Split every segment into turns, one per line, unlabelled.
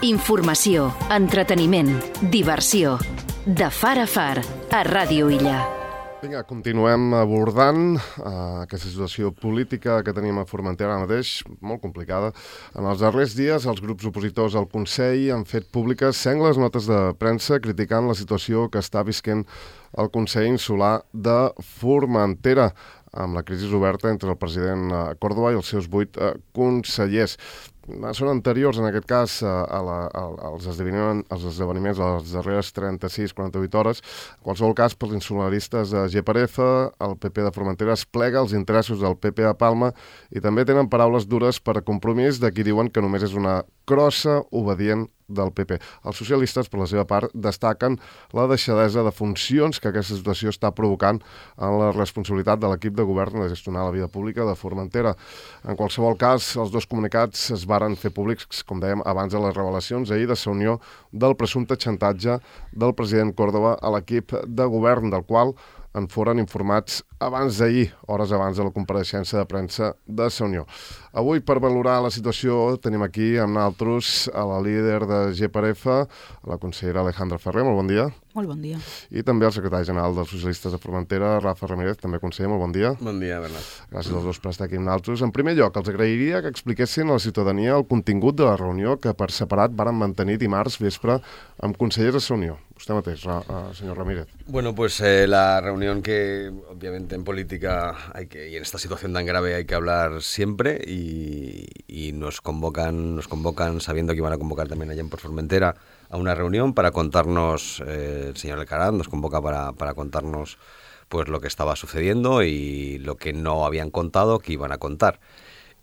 Informació, entreteniment, diversió. De far a far, a Ràdio Illa.
Vinga, continuem abordant aquesta situació política que tenim a Formentera ara mateix, molt complicada. En els darrers dies, els grups opositors al Consell han fet públiques sengles notes de premsa criticant la situació que està visquent el Consell Insular de Formentera, amb la crisi oberta entre el president Córdoba i els seus 8 consellers. Són anteriors, en aquest cas, als esdeveniments de les darreres 36-48 hores. En qualsevol cas, pels insularistes de GPRF, el PP de Formentera es plega als interessos del PP a Palma i també tenen paraules dures per a Compromís de qui diuen que només és una crossa obedient del PP. Els socialistes, per la seva part, destaquen la deixadesa de funcions que aquesta situació està provocant en la responsabilitat de l'equip de govern de gestionar la vida pública de Formentera. En qualsevol cas, els dos comunicats es varen fer públics, com dèiem, abans de les revelacions ahir de la unió del presumpte xantatge del president Córdoba a l'equip de govern, del qual en foren informats abans d'ahir, hores abans de la compareixença de premsa de la Unió. Avui, per valorar la situació, tenim aquí amb nosaltres a la líder de GPRF, la consellera Alejandra Ferrer. Molt bon dia.
Molt bon dia.
I també el secretari general dels socialistes de Formentera, Rafa Ramírez, també conseller. Molt bon dia.
Bon dia, Bernat.
Gràcies als dos per estar aquí amb nosaltres. En primer lloc, els agrairia que expliquessin a la ciutadania el contingut de la reunió que per separat varen mantenir dimarts vespre amb consellers de la Unió. Usted mateix, señor Ramírez.
Bueno, pues la reunión que obviamente en política y en esta situación tan grave hay que hablar siempre y nos convocan sabiendo que iban a convocar también allá en Formentera a una reunión para contarnos, el señor Alcaraz nos convoca para contarnos pues lo que estaba sucediendo y lo que no habían contado que iban a contar.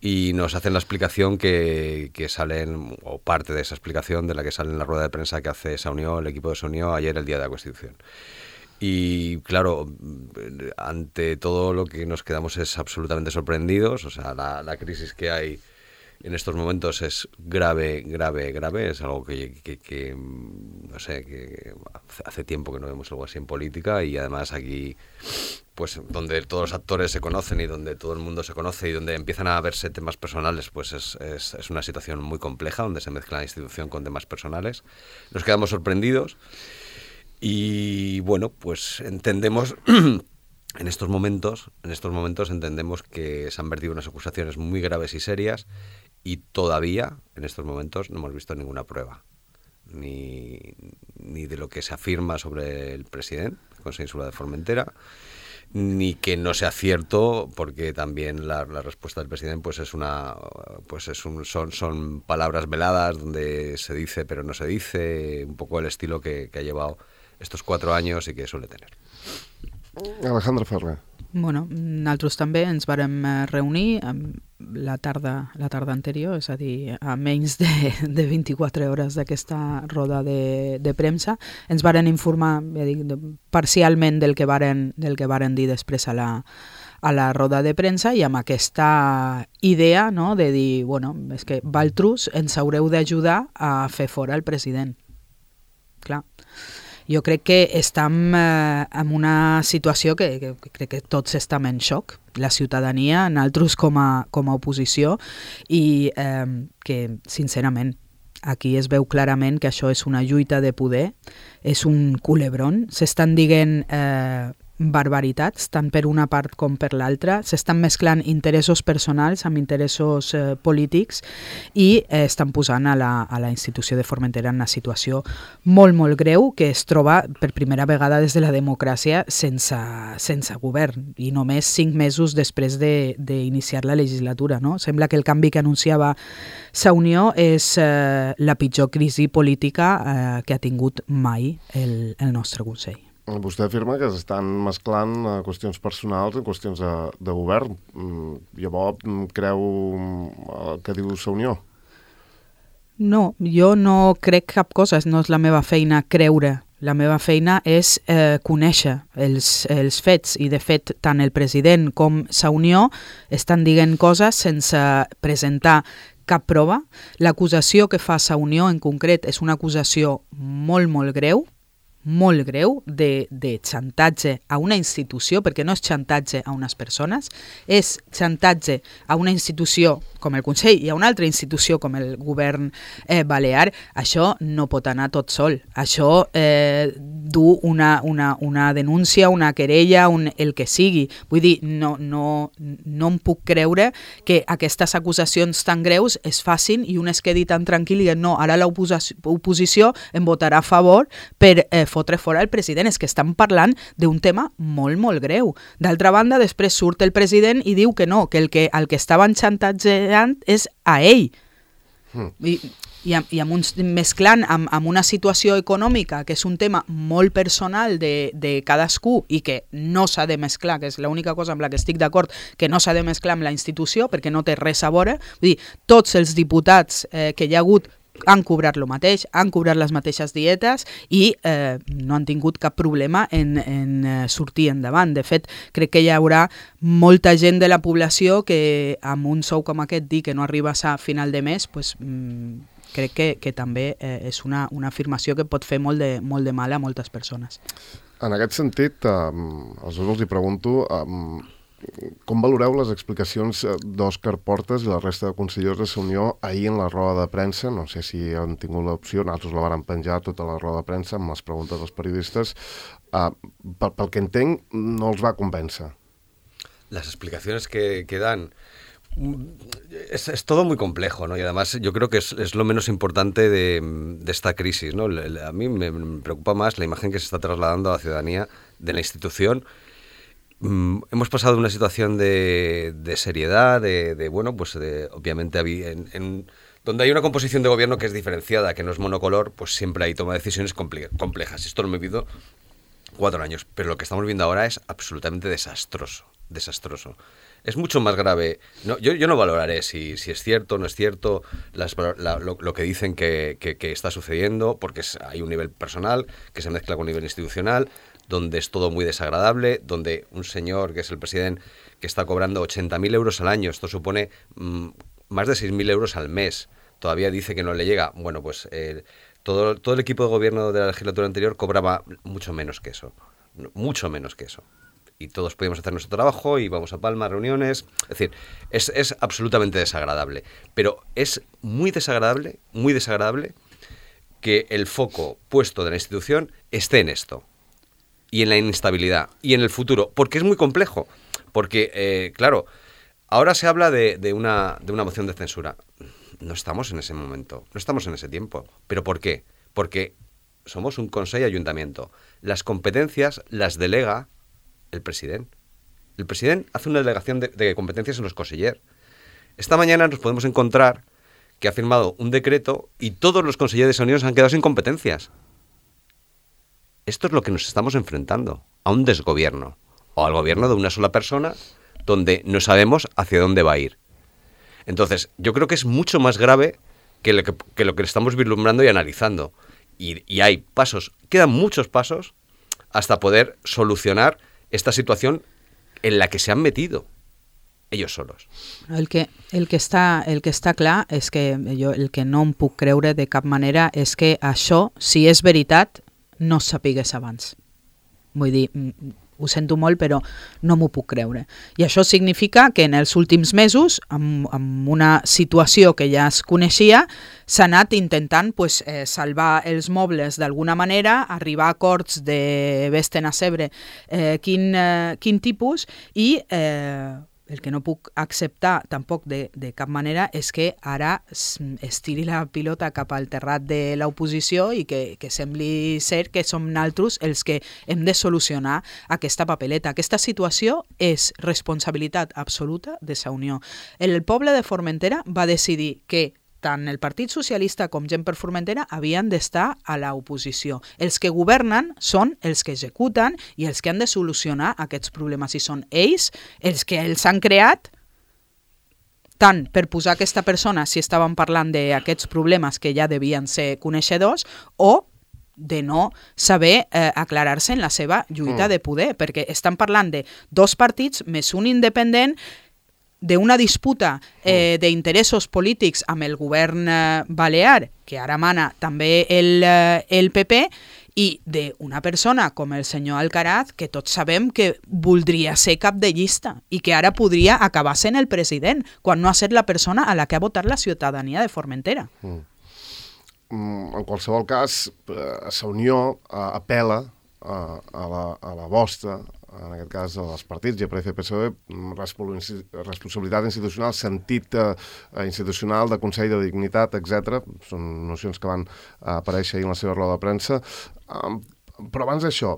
Y nos hacen la explicación que salen, o parte de esa explicación de la que sale en la rueda de prensa que hace esa unión, el equipo de esa unión, ayer el día de la Constitución. Y claro, ante todo lo que nos quedamos es absolutamente sorprendidos. O sea, la crisis que hay en estos momentos es grave. Es algo que no sé, que hace tiempo que no vemos algo así en política y además aquí, pues donde todos los actores se conocen y donde todo el mundo se conoce y donde empiezan a verse temas personales, pues es una situación muy compleja donde se mezcla la institución con temas personales. Nos quedamos sorprendidos y bueno, pues entendemos en estos momentos entendemos que se han vertido unas acusaciones muy graves y serias y todavía en estos momentos no hemos visto ninguna prueba ni de lo que se afirma sobre el presidente del Consejo Insular de Formentera, ni que no sea cierto, porque también la respuesta del presidente son palabras veladas donde se dice pero no se dice, un poco el estilo que ha llevado estos 4 años y que suele tener.
Alejandra Ferrer.
Bueno, nosaltres també ens vàrem reunir la tarda anterior, és a dir, a menys de 24 hores d'aquesta roda de premsa. Ens varen informar, ja dic, parcialment del que varen dir després a la roda de premsa i amb aquesta idea, no, de dir, bueno, és que vosaltres ens haureu d'ajudar a fer fora el president. Clar. Jo crec que estem en una situació que crec que tots estem en xoc, la ciutadania, nosaltres com a oposició, i que, sincerament, aquí es veu clarament que això és una lluita de poder, és un culebron, s'estan dient barbaritats, tant per una part com per l'altra, s'estan mesclant interessos personals amb interessos polítics i estan posant a la institució de Formentera en una situació molt, molt greu que es troba per primera vegada des de la democràcia sense govern i només 5 mesos després d'iniciar la legislatura. No? Sembla que el canvi que anunciava la Unió és la pitjor crisi política que ha tingut mai el nostre Consell.
Vostè afirma que s'estan mesclant qüestions personals en qüestions de govern. Llavors, creu el que diu la Unió?
No, jo no crec cap cosa, no és la meva feina creure. La meva feina és conèixer els fets i, de fet, tant el president com la Unió estan dient coses sense presentar cap prova. L'acusació que fa la Unió en concret és una acusació molt, molt greu, de xantatge a una institució, perquè no és xantatge a unes persones, és xantatge a una institució com el Consell i a una altra institució com el govern balear, això no pot anar tot sol. Això du una denúncia, una querella, el que sigui. Vull dir, no em puc creure que aquestes acusacions tan greus es facin i un es quedi tan tranquil i no, ara l'oposició em votarà a favor per fotre fora el president. És que estan parlant d'un tema molt, molt greu. D'altra banda, després surt el president i diu que no, que el que estaven xantatjant és a ell. I mesclant amb una situació econòmica que és un tema molt personal de cadascú i que no s'ha de mesclar, que és l'única cosa amb la que estic d'acord, que no s'ha de mesclar amb la institució perquè no té res a veure. Vull dir, tots els diputats que hi ha hagut han cobrat el mateix, han cobrat les mateixes dietes i no han tingut cap problema en sortir endavant. De fet, crec que hi haurà molta gent de la població que amb un sou com aquest dir que no arribes a final de mes, pues, crec que també és una afirmació que pot fer molt de mal a moltes persones.
En aquest sentit, als dos els hi pregunto, com valoreu les explicacions d'Òscar Portas i la resta de consellers de Unió ahir en la roda de premsa? No sé si han tingut l'opció, nosaltres la vàrem penjar tota la roda de premsa amb les preguntes dels periodistes. Pel que entenc, no els va convèncer.
Las explicaciones que dan... Es todo muy complejo, ¿no? Y además yo creo que es lo menos importante de esta crisis, ¿no? A mí me preocupa más la imagen que se está trasladando a la ciudadanía de la institución. Hemos pasado de una situación de seriedad, obviamente donde hay una composición de gobierno que es diferenciada, que no es monocolor, pues siempre hay toma de decisiones complejas. Esto lo hemos vivido 4 años, pero lo que estamos viendo ahora es absolutamente desastroso. Es mucho más grave. No, yo no valoraré si es cierto o no es cierto lo que dicen que está sucediendo, porque hay un nivel personal que se mezcla con un nivel institucional, donde es todo muy desagradable, donde un señor que es el presidente que está cobrando 80.000 euros al año, esto supone más de 6.000 euros al mes, todavía dice que no le llega. Bueno, pues todo el equipo de gobierno de la legislatura anterior cobraba mucho menos que eso. Y todos podíamos hacer nuestro trabajo, íbamos a Palma, reuniones... Es decir, es absolutamente desagradable. Pero es muy desagradable que el foco puesto de la institución esté en esto. Y en la inestabilidad. Y en el futuro. Porque es muy complejo. Porque, claro, ahora se habla de una moción de censura. No estamos en ese momento. No estamos en ese tiempo. ¿Pero por qué? Porque somos un Consell Ayuntamiento. Las competencias las delega el presidente. El presidente hace una delegación de competencias en los consellers. Esta mañana nos podemos encontrar que ha firmado un decreto y todos los consellers de esa unión se han quedado sin competencias. Esto es lo que nos estamos enfrentando, a un desgobierno, o al gobierno de una sola persona, donde no sabemos hacia dónde va a ir. Entonces, yo creo que es mucho más grave que lo que estamos vislumbrando y analizando. Y hay pasos, quedan muchos pasos, hasta poder solucionar esta situación en la que se han metido ellos solos.
El que està clar és que jo el que no em puc creure de cap manera és que això, si és veritat, no sapigués abans. Vull dir, ho sento molt, però no m'ho puc creure. I això significa que en els últims mesos, amb una situació que ja es coneixia, s'ha anat intentant salvar els mobles d'alguna manera, arribar a acords de vés-te'n a saber quin tipus, i el que no puc acceptar tampoc de cap manera és que ara es tiri la pilota cap al terrat de l'oposició i que sembli ser que som naltros els que hem de solucionar aquesta papeleta. Aquesta situació és responsabilitat absoluta de sa Unió. El poble de Formentera va decidir que tant el Partit Socialista com Gent per Formentera havien d'estar a l'oposició. Els que governen són els que executen i els que han de solucionar aquests problemes. I són ells els que els han creat, tant per posar aquesta persona, si estàvem parlant d'aquests problemes que ja devien ser coneixedors, o de no saber aclarar-se en la seva lluita de poder, perquè estan parlant de 2 partits més un independent, d'una disputa d'interessos polítics amb el govern balear, que ara mana també el PP, i d'una persona com el senyor Alcaraz, que tots sabem que voldria ser cap de llista i que ara podria acabar sent el president, quan no ha estat la persona a la que ha votat la ciutadania de Formentera.
En qualsevol cas, la Unió apel·la a la vostra, en aquest cas als partits, GPF, PSOE, responsabilitat institucional, sentit institucional de Consell de Dignitat, etc. Són nocions que van aparèixer ahir en la seva roda de premsa. Però abans d'això,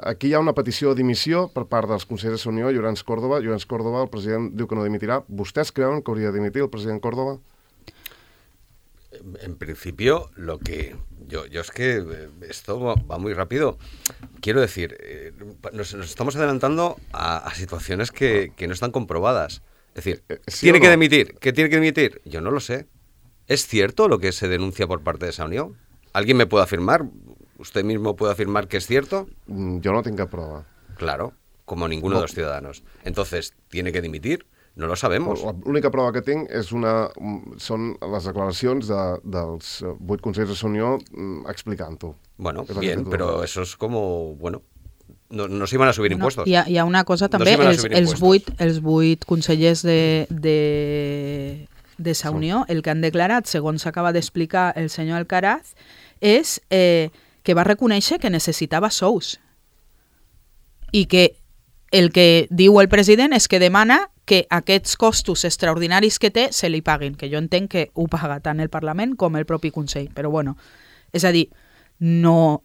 aquí hi ha una petició de dimissió per part dels consellers de Unió, Llorenç Córdoba. Llorenç Córdoba, el president, diu que no dimitirà. ¿Vostès creuen que hauria de dimitir el president Córdoba?
En principio, lo que yo es que esto va muy rápido. Quiero decir, nos estamos adelantando a situaciones que no están comprobadas. Es decir,
¿sí
¿tiene
o
que
no?
dimitir? ¿Qué tiene que dimitir? Yo no lo sé. ¿Es cierto lo que se denuncia por parte de esa unión? ¿Alguien me puede afirmar? ¿Usted mismo puede afirmar que es cierto?
Jo no tinc cap prova.
Claro, como ninguno de los ciudadanos. Entonces, ¿tiene que dimitir? No lo sabemos.
L'única prova que tinc són les declaracions dels 8 consellers de la Unió explicant-ho.
Bueno, bien, pero eso es como, bueno, no se iban a subir impuestos.
Hi ha una cosa també, els 8 consellers de sa Unió, el que han declarat, segons acaba d'explicar el senyor Alcaraz, és que va reconèixer que necessitava sous i que el que diu el president és que demana que aquests costos extraordinaris que té se li paguin, que jo entenc que ho paga tant el Parlament com el propi Consell. Però bueno, és a dir, no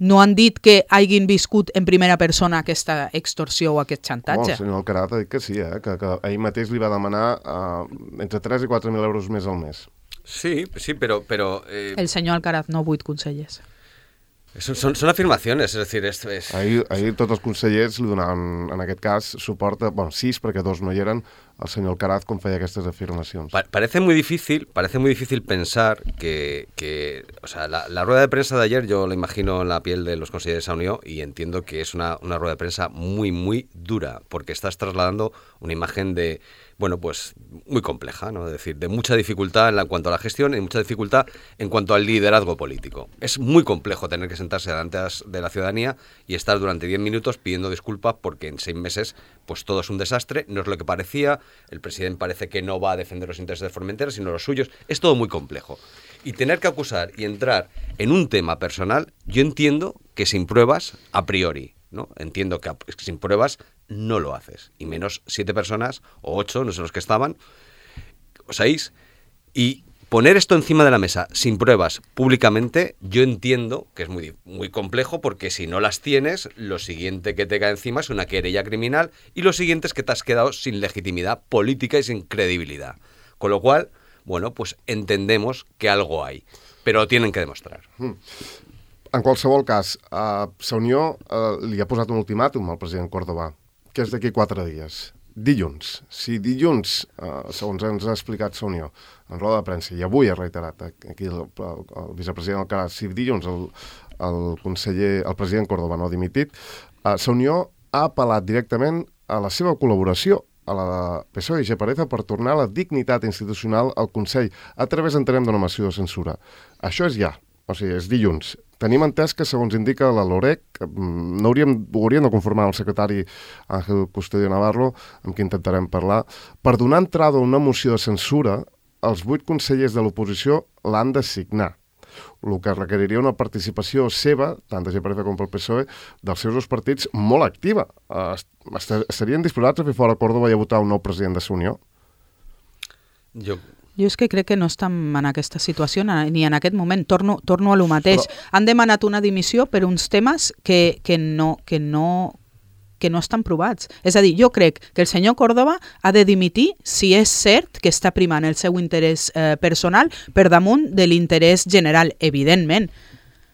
han dit que hagin viscut en primera persona aquesta extorsió o aquest xantatge.
El senyor Alcaraz ha dit que sí, que ell mateix li va demanar entre 3 i 4.000 euros més al mes.
Sí, pero
El senyor Alcaraz, no 8 consellers.
Son afirmaciones, es decir,
Ahir tots els consellers li donaven, en aquest cas, suport a, 6, perquè 2 no hi eren, al senyor Alcaraz com feia aquestes afirmacions.
Parece muy difícil pensar que o sea, la rueda de prensa de ayer yo la imagino en la piel de los consejeros de esa Unión y entiendo que es una rueda de prensa muy, muy dura, porque estás trasladando una imagen de, bueno, pues muy compleja, ¿no? Es decir, de mucha dificultad en cuanto a la gestión y mucha dificultad en cuanto al liderazgo político. Es muy complejo tener que sentarse delante de la ciudadanía y estar durante 10 minutos pidiendo disculpas porque en 6 meses pues todo es un desastre, no es lo que parecía, el presidente parece que no va a defender los intereses de Formentera, sino los suyos, es todo muy complejo. Y tener que acusar y entrar en un tema personal, yo entiendo que sin pruebas, a priori, ¿no? Entiendo que sin pruebas no lo haces, y menos 7 personas, o 8, no sé los que estaban, o 6, y poner esto encima de la mesa sin pruebas públicamente, yo entiendo que es muy, muy complejo, porque si no las tienes, lo siguiente que te cae encima es una querella criminal, y lo siguiente es que te has quedado sin legitimidad política y sin credibilidad. Con lo cual, bueno, pues entendemos que algo hay, pero lo tienen que demostrar.
En qualsevol cas, la Unió li ha posat un ultimàtum al president Córdoba, que és d'aquí 4 dies. Dilluns. Si dilluns, segons ens ha explicat la Unió, en roda de premsa, i avui ha reiterat aquí el vicepresident Alcaraz, si dilluns el president Córdoba no ha dimitit, la Unió ha apel·lat directament a la seva col·laboració a la PSOE i GPF per tornar la dignitat institucional al Consell a través, entenem, d'una moció de censura. Això és ja, o sigui, és dilluns. Tenim entès que, segons indica la LOREC, ho hauríem de conformar el secretari Ángel Custodio Navarro, amb qui intentarem parlar, per donar entrada a una moció de censura, els 8 consellers de l'oposició l'han de signar, el que requeriria una participació seva, tant de GPF com pel PSOE, dels seus 2 partits molt activa. Estarien disposats a fer fora Córdoba i a votar un nou president de la Unió?
Jo és que crec que no estem en aquesta situació ni en aquest moment. Torno a lo mateix. Han demanat una dimissió per uns temes que no estan provats. És a dir, jo crec que el senyor Córdoba ha de dimitir si és cert que està primant el seu interès personal per damunt de l'interès general, evidentment.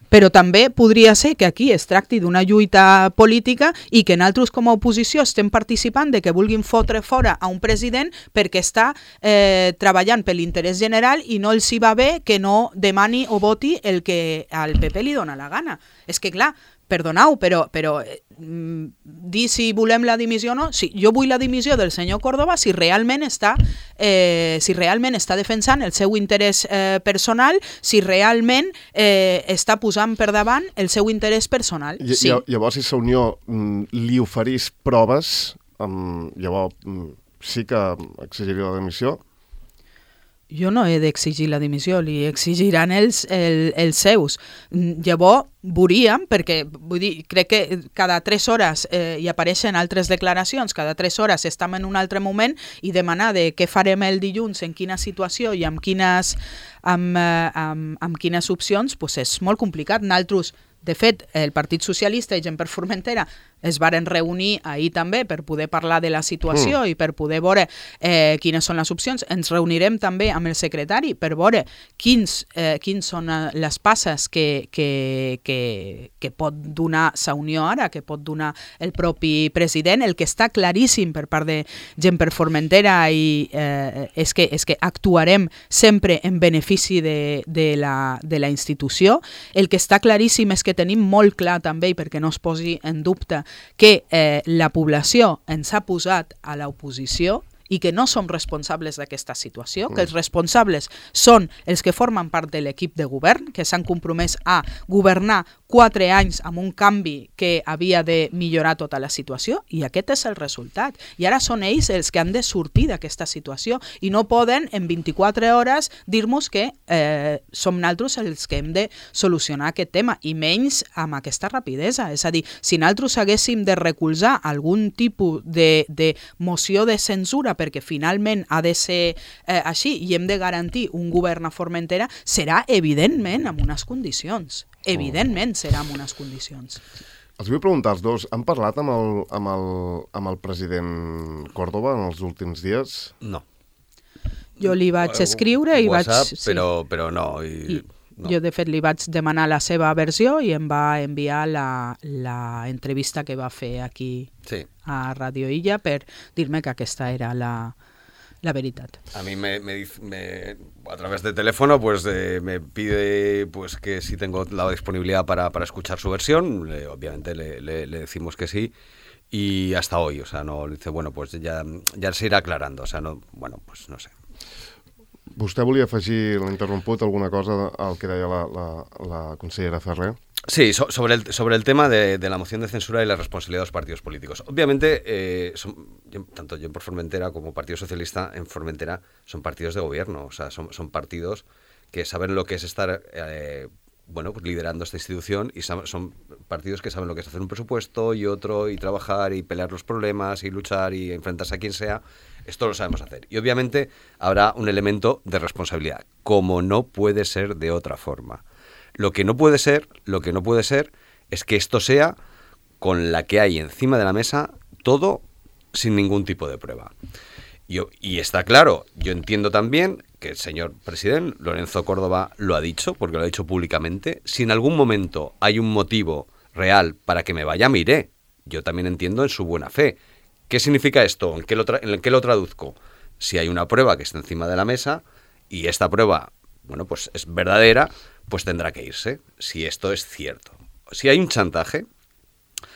Però també podria ser que aquí es tracti d'una lluita política i que nosaltres com a oposició estem participant de que vulguin fotre fora a un president perquè està treballant per l'interès general i no els hi va bé que no demani o voti el que al PP li dona la gana. És que clar, perdoneu, però dir si volem la dimissió o no, sí, jo vull la dimissió del senyor Córdoba si realment està defensant el seu interès personal, si realment està posant per davant el seu interès personal. Sí.
Llavors, si la Unió li oferís proves, llavors sí que exigiria la dimissió?
Jo no he d'exigir la dimissió, li exigiran els seus. Llavors, veuríem, perquè vull dir, crec que cada 3 hores hi apareixen altres declaracions, cada 3 hores estem en un altre moment i demanar de què farem el dilluns, en quina situació i amb quines opcions, doncs és molt complicat. Nosaltres, de fet, el Partit Socialista i Gent per Formentera es varen reunir ahir també per poder parlar de la situació i per poder veure quines són les opcions. Ens reunirem també amb el secretari per veure quins són les passes que pot donar la Unió ara, que pot donar el propi president. El que està claríssim per part de Gent per Formentera és que actuarem sempre en benefici de la institució. El que està claríssim és que tenim molt clar també, i perquè no es posi en dubte, que la població ens ha posat a l'oposició i que no som responsables d'aquesta situació, que els responsables són els que formen part de l'equip de govern, que s'han compromès a governar 4 anys amb un canvi que havia de millorar tota la situació, i aquest és el resultat. I ara són ells els que han de sortir d'aquesta situació i no poden en 24 hores dir-nos que som nosaltres els que hem de solucionar aquest tema, i menys amb aquesta rapidesa. És a dir, si nosaltres haguéssim de recolzar algun tipus de moció de censura perquè finalment ha de ser així i hem de garantir un govern a Formentera, serà evidentment amb unes condicions. Evidentment serà amb unes condicions.
Els vull preguntar als dos, han parlat amb el president Córdoba en els últims dies?
No.
Jo li vaig escriure i
WhatsApp,
vaig... Sí.
Però no. No.
Jo, de fet, li vaig demanar la seva versió i em va enviar la entrevista que va fer aquí a Radio Illa per dir-me que aquesta era la veritat.
A mí me a través de teléfono pues me pide pues que si tengo la disponibilidad para escuchar su versión, obviamente le decimos que sí, y hasta hoy, o sea, no dice, bueno, pues ya se irá aclarando, o sea, no, bueno, pues no sé.
Vostè volia afegir, l'ha interromput, alguna cosa al que deia la consellera Ferrer?
Sí, sobre el tema de la moción de censura y la responsabilidad de los partidos políticos. Obviamente, tanto Gent per Formentera como Partido Socialista en Formentera son partidos de gobierno, o sea, son partidos que saben lo que es estar pues liderando esta institución, y son partidos que saben lo que es hacer un presupuesto y otro, y trabajar y pelear los problemas y luchar y enfrentarse a quien sea. Esto lo sabemos hacer. Y obviamente habrá un elemento de responsabilidad, como no puede ser de otra forma. Lo que no puede ser es que esto sea con la que hay encima de la mesa, todo sin ningún tipo de prueba. Y está claro, yo entiendo también que el señor presidente Lorenzo Córdoba lo ha dicho, porque lo ha dicho públicamente. Si en algún momento hay un motivo real para que me vaya, me iré. Yo también entiendo en su buena fe. ¿Qué significa esto? ¿En qué lo traduzco? Si hay una prueba que está encima de la mesa y esta prueba, bueno, pues es verdadera, pues tendrá que irse, si esto es cierto. Si hay un chantaje,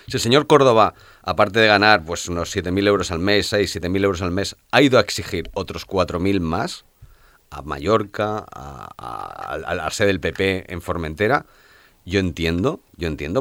si el señor Córdoba, aparte de ganar pues unos 7.000 euros al mes, 7.000 euros al mes, ha ido a exigir otros 4.000 más a Mallorca, a la sede del PP en Formentera, yo entiendo,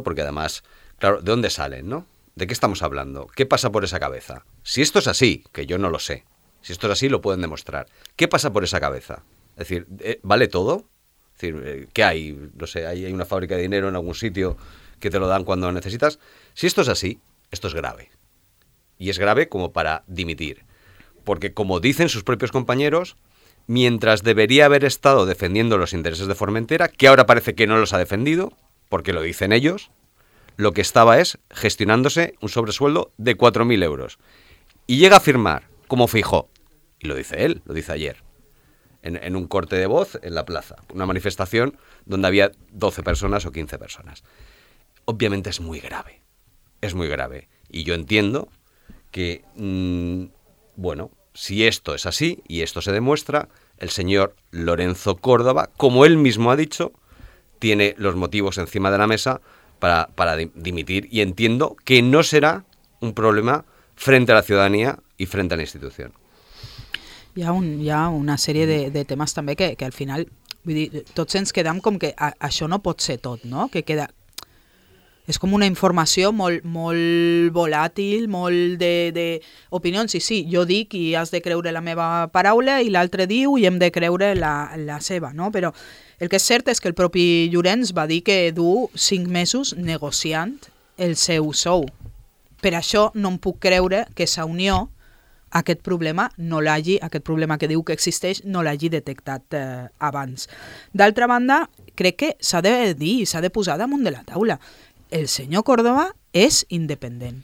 porque además, claro, ¿de dónde salen, no? ¿De qué estamos hablando? ¿Qué pasa por esa cabeza? Si esto es así, que yo no lo sé, si esto es así lo pueden demostrar, ¿qué pasa por esa cabeza? Es decir, ¿vale todo? Es decir, ¿qué hay? No sé, hay una fábrica de dinero en algún sitio que te lo dan cuando lo necesitas. Si esto es así, esto es grave. Y es grave como para dimitir. Porque como dicen sus propios compañeros, mientras debería haber estado defendiendo los intereses de Formentera, que ahora parece que no los ha defendido, porque lo dicen ellos, lo que estaba es gestionándose un sobresueldo de 4.000 euros. Y llega a firmar, como Feijóo, y lo dice él, lo dice ayer, en un corte de voz en la plaza, una manifestación donde había 12 personas o 15 personas. Obviamente es muy grave. Y yo entiendo que, bueno, si esto es así y esto se demuestra, el señor Lorenzo Córdoba, como él mismo ha dicho, tiene los motivos encima de la mesa para dimitir, y entiendo que no será un problema frente a la ciudadanía y frente a la institución.
Hi ha una sèrie de temes també que al final, vull dir, tots ens quedam com que això no pot ser tot, no? Que queda... És com una informació molt volàtil, molt d'opinions. I sí, jo dic i has de creure la meva paraula i l'altre diu i hem de creure la seva, no? Però el que és cert és que el propi Llorenç va dir que du 5 mesos negociant el seu sou. Per això no em puc creure que Sa Unió aquest problema que diu que existeix no l'hagi detectat abans. D'altra banda, crec que s'ha de dir, s'ha de posar damunt de la taula. El senyor Córdoba és independent.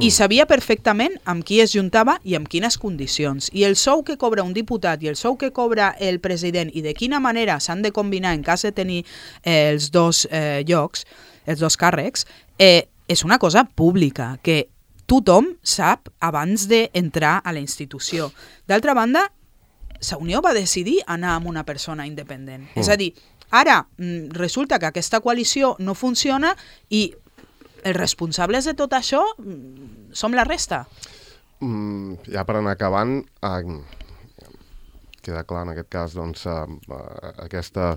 I sabia perfectament amb qui es juntava i amb quines condicions. I el sou que cobra un diputat i el sou que cobra el president i de quina manera s'han de combinar en cas de tenir els dos llocs, els dos càrrecs, és una cosa pública que tothom sap abans d'entrar a la institució. D'altra banda, Sa Unió va decidir anar amb una persona independent. És a dir, ara resulta que aquesta coalició no funciona i els responsables de tot això som la resta.
Ja per anar acabant, queda clar en aquest cas doncs, aquesta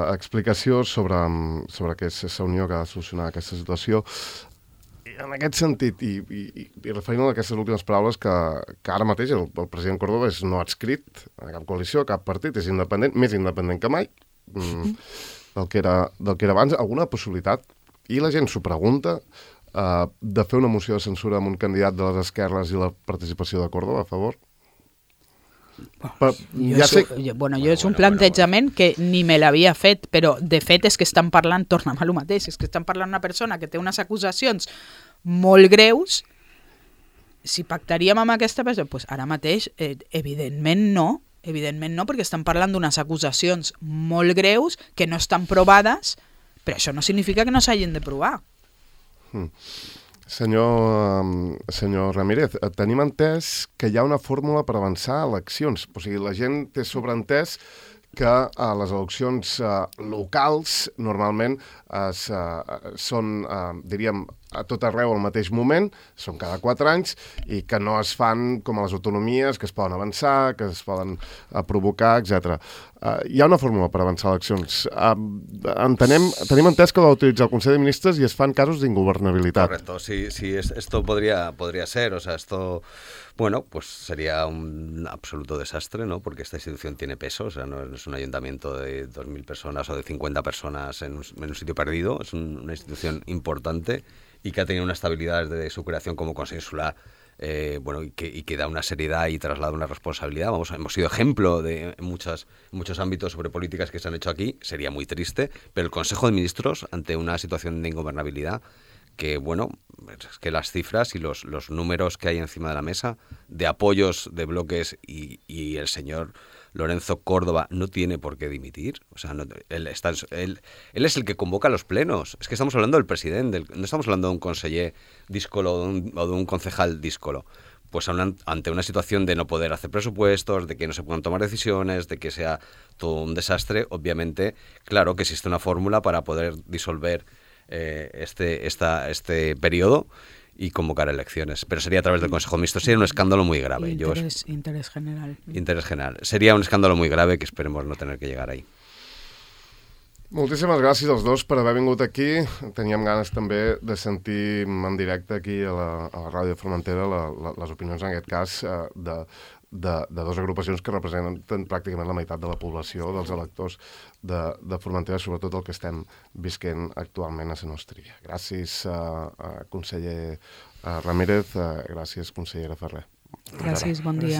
explicació sobre que és Sa Unió que ha de solucionar aquesta situació. En aquest sentit, i referint a aquestes últimes paraules, que ara mateix el president Córdoba és no adscrit a cap coalició, a cap partit, és independent, més independent que mai, del que era abans, alguna possibilitat, i la gent s'ho pregunta, de fer una moció de censura amb un candidat de les esquerres i la participació de Córdoba a favor?
És un plantejament que ni me l'havia fet, però de fet és que estan parlant, tornem a lo mateix, és que estan parlant una persona que té unes acusacions molt greus. Si pactaríem amb aquesta persona, doncs ara mateix evidentment no, perquè estan parlant d'unes acusacions molt greus que no estan provades, però això no significa que no s'hagin de provar.
Senyor Ramírez, tenim entès que hi ha una fórmula per avançar a eleccions. O sigui, la gent té sobreentès que les eleccions locals normalment són, diríem, a tot arreu al mateix moment, són cada 4 anys, i que no es fan com a les autonomies, que es poden avançar, que es poden provocar, etc. Hi ha una fórmula per avançar eleccions. Tenim entès que l'ha d'utilitzar el Consell de Ministres i es fan casos d'ingovernabilitat.
Correcto, sí, esto podría ser, o sea, esto... Bueno, pues sería un absoluto desastre, ¿no? Porque esta institución tiene peso, o sea, no es un ayuntamiento de 2.000 personas o de 50 personas en un sitio perdido, es una institución importante y que ha tenido una estabilidad desde su creación como Consell Insular, y que da una seriedad y traslada una responsabilidad. Hemos sido ejemplo en muchos ámbitos sobre políticas que se han hecho aquí, sería muy triste, pero el Consejo de Ministros, ante una situación de ingobernabilidad, que es que las cifras y los números que hay encima de la mesa de apoyos de bloques y el señor Lorenzo Córdoba no tiene por qué dimitir. O sea, él es el que convoca los plenos. Es que estamos hablando del presidente, no estamos hablando de un conseller díscolo o de un concejal díscolo. Pues ante una situación de no poder hacer presupuestos, de que no se puedan tomar decisiones, de que sea todo un desastre, obviamente, claro que existe una fórmula para poder disolver este periodo y convocar elecciones. Pero sería a través del Consejo de Ministros. Sería un escándalo muy grave.
Interés general.
Interés general. Sería un escàndalo muy grave que esperemos no tener que llegar ahí.
Moltíssimes gràcies als dos per haver vingut aquí. Teníem ganes també de sentir en directe aquí a la Ràdio Formentera les opinions, en aquest cas, de dues agrupacions que representen pràcticament la meitat de la població, dels electors de Formentera, sobretot el que estem visquent actualment a la Nostria. Gràcies, conseller Ramírez, gràcies, consellera Ferrer.
Gràcies, bon dia.